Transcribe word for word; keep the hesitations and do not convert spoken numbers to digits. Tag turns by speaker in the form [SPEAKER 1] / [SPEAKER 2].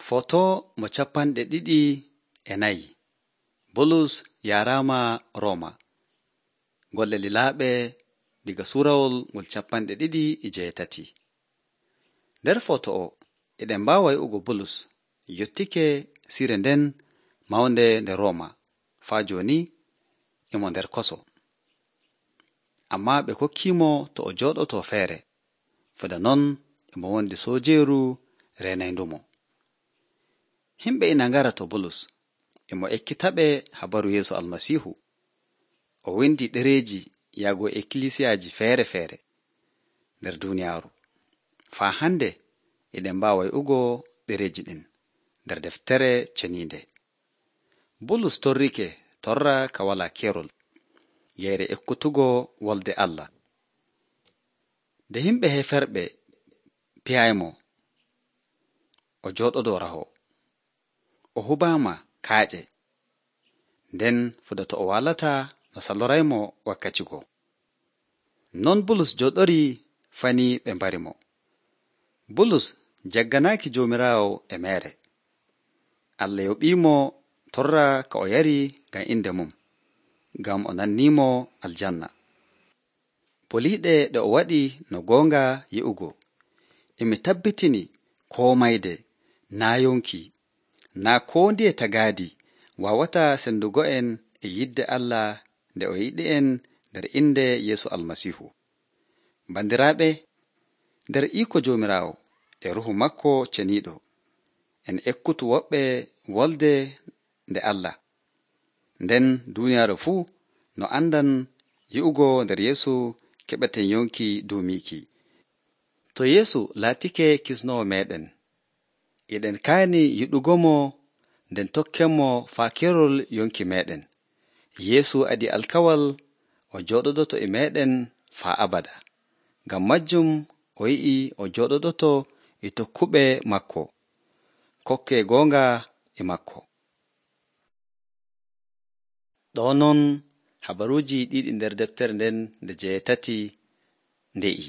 [SPEAKER 1] Foto mo capanɗe ɗiɗi e nayi. Bulus yaaraama Rooma. Golle lilaaɓe diga suurawol ngol capanɗe ɗiɗi e jeetati. Nder foto o eɗen mbaawa wi'ugo Bulus yottike sire nden mawnde nde Rooma faa jooni e mo nder koso. Ammaa ɓe kokkiimo to o jooɗoto feere, fada non e mo wondi soojeeru reenayndumo. Himɓe ina ngara to Bulus e mo ekkitaɓe habaru Yeesu Almasiihu. O windi ɗereeji yaago ekkilisiyaaji feere feere nder duuniyaaru. Faa hande eɗen mbaawa wi'ugo ɗereeji ɗin nder deftere ceniinde. Bulus torrike torra ka walaa keerol yeyre ekkutugo wolde Allah. Nde himɓe heferɓe piyaymo o jooɗodoo raho, o hubaama kaaƴe, nden fuda to o walataa no saloraymo wakkati go. Non Bulus jooɗori fanii ɓe mbari mo. Bulus jagganaaki Joomiraawo e meere. Allah yoɓiimo torra ka o yari ngam inde mum, ngam o nanniimo aljanna. Boliiɗe ɗe o waɗi no goonga yi'ugo, emi tabbitini koo mayde naa yonki, naa koo ndiye tagaadi waawataa sendugo'en e yidde Allah nde o yiɗi'en nder innde Yeesu Almasiihu. Bandiraaɓe, nder iko Joomiraawo e Ruuhu makko ceniiɗo, en ekkutu woɓɓe wolde nde Allah, nden duuniyaaru fuu no andan yi'ugo nder Yeesu keɓeten yonki duumiiki. To Yeesu laatike kisnoowo meeɗen, eɗen kaani yiɗugomo nden tokkenmo faa keerol yonki meeɗen. Yeesu adi alkawal o jooɗodoto e meeɗen faa abada. Ngam majjum o yi'i o jooɗodoto e tokkuɓe makko, kokke goonga e makko. Ɗoo non habaruuji ɗiɗi nder deftere nden nde jeetati nde'i.